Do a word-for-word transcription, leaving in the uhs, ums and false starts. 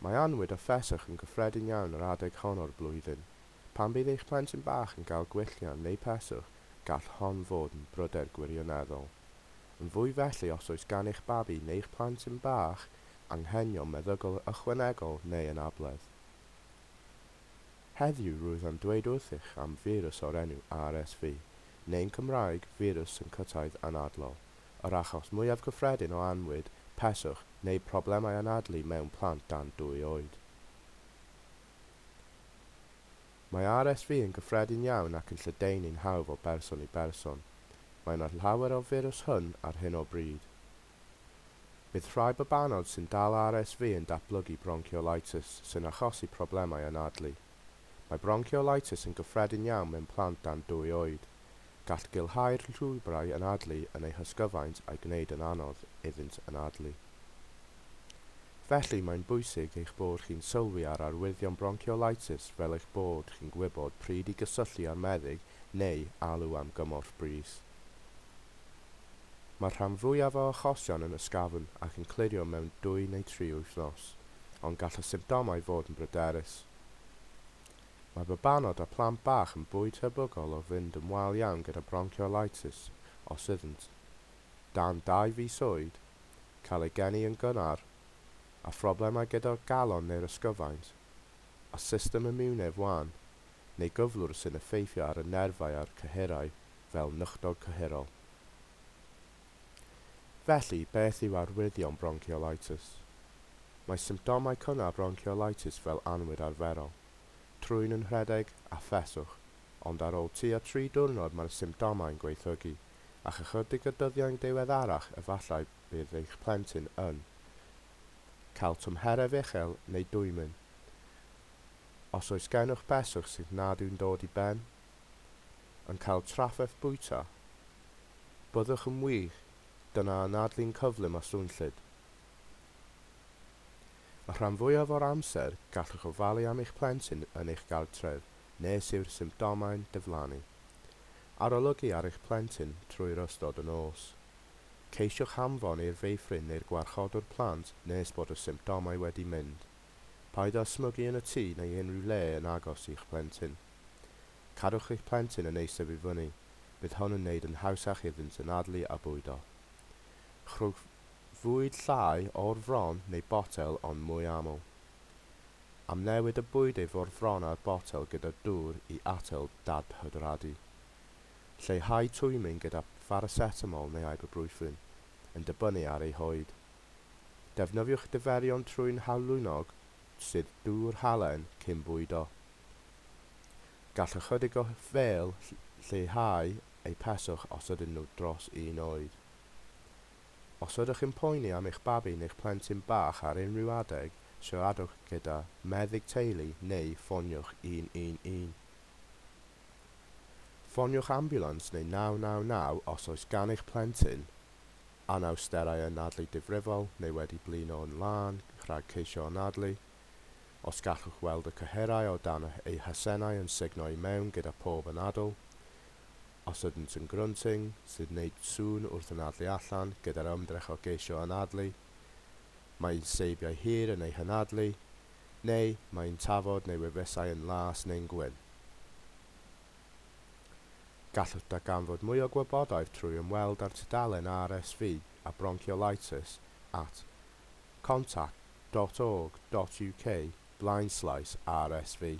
Mae annwyd a pheswch yn gyffredin iawn yr adeg hon o'r blwyddyn. Pan bydd eich plentyn bach yn cael gwylltau neu peswch, gall hon fod yn bryder gwirioneddol. Yn fwy felly os oes gan eich babi neu'ch plentyn bach anghenion meddygol ychwanegol neu anabledd. Heddiw rwyf am dweud wrthych am firws o'r enw R S V, neu'n Cymraeg firws syncwtaidd anadlol, yr achos mwyaf cyffredin o annwyd, peswch neu problemau anadlu mewn plant dan dwy oed. Mae R S V yn gyffredin iawn ac yn lledaenu'n hawdd o berson i berson. Mae yna llawer o firws hwn ar hyn o bryd. Bydd rhai babanod sy'n dal R S V yn datblygu bronchiolitis sy'n achosi problemau anadlu. Mae bronchiolitis yn gyffredin iawn mewn plant dan dwy oed. Gall gilhau'r llwybrau anadlu yn eu hysgyfaint a'i gwneud yn anodd iddynt anadlu. Felly, mae'n bwysig eich bod chi'n sylwi ar arwyddion bronchiolitis fel eich bod chi'n gwybod pryd i gysylltu â'r meddyg neu alw am gymorth brys. Mae'r rhan fwyaf o achosion yn ysgafn ac yn clirio mewn dwy neu tri wythnos, ond gall y symptomau fod yn bryderus. Mae babanod a plant bach yn fwy tebygol o fynd yn wael iawn gyda bronchiolitis os ydynt dan dau fis oed, cael eu geni yn gynnar, a phroblemau gyda'r galon neu'r ysgyfaint, a system imiwnedd wan, neu gyflwr sy'n effeithio ar y nerfau a'r cyhyrau fel nychdod cyhyrol. Felly, beth yw arwyddion bronchiolitis? Mae symptomau cynnar bronchiolitis fel annwyd arferol, trwyn yn rhedeg a pheswch, ond ar ôl tua tri diwrnod mae'r symptomau'n gwaethygu, ac ychydig o dyddiau'n diweddarach efallai bydd eich plentyn yn cael tymheredd uchel neu dwymyn. Os oes gennych beswch sydd nad yw'n dod i ben, yn cael trafferth bwyta, byddwch yn wych, dyna anadlu'n cyflym a swnllyd. Y rhan fwyaf o'r amser, gallwch ofalu am eich plentyn yn eich gartref nes yw'r symptomau'n diflannu. Arolygu ar eich plentyn trwy'r ystod y nos. Ceisiwch hanfon i'r feithrin neu'r gwarchodwr plant nes bod y symptomau wedi mynd. Paid â smygu yn y tŷ neu unrhyw le yn agos i'ch plentyn. Cadwch eich plentyn yn eistedd i fyny. Bydd hwn yn wneud yn hawsach iddynt anadlu a bwydo. Rhowch fwyd llai o'r fron neu botel ond mwy aml. Amnewid y bwydydd o'r fron a'r botel gyda dŵr i atal dadhydradu. Lleihau twymyn gyda pharacetamol neu ibuprofen, yn dibynnu ar ei hoed. Defnyddiwch diferion trwyn halwynog sydd dŵr halen cyn bwydo. Gall ychydig o fêl lleihau eu peswch os ydyn nhw dros un oed. Os ydych yn poeni am eich babi neu'ch plentyn bach ar unrhyw adeg, siaradwch gyda meddyg teulu neu ffoniwch un un un. Ffoniwch ambiwlans neu naw naw naw os oes gan eich plentyn anawsterau anadlu difrifol neu wedi blino yn lân rhag ceisio anadlu, os gallwch weld y cyhyrau o dan eu hasennau yn sugno i mewn gyda phob anadl, os ydynt yn grunting, sydd wneud sŵn wrth anadlu allan gyda'r ymdrech o geisio anadlu, mae'n seibiau hir yn ei hanadlu, neu mae'n tafod neu wefusau yn las neu'n gwyn. Gallwch darganfod mwy o gwybodaeth trwy ymweld â'r tudalen R S V a bronchiolitis at contact dot org dot U K blaenslaes R S V.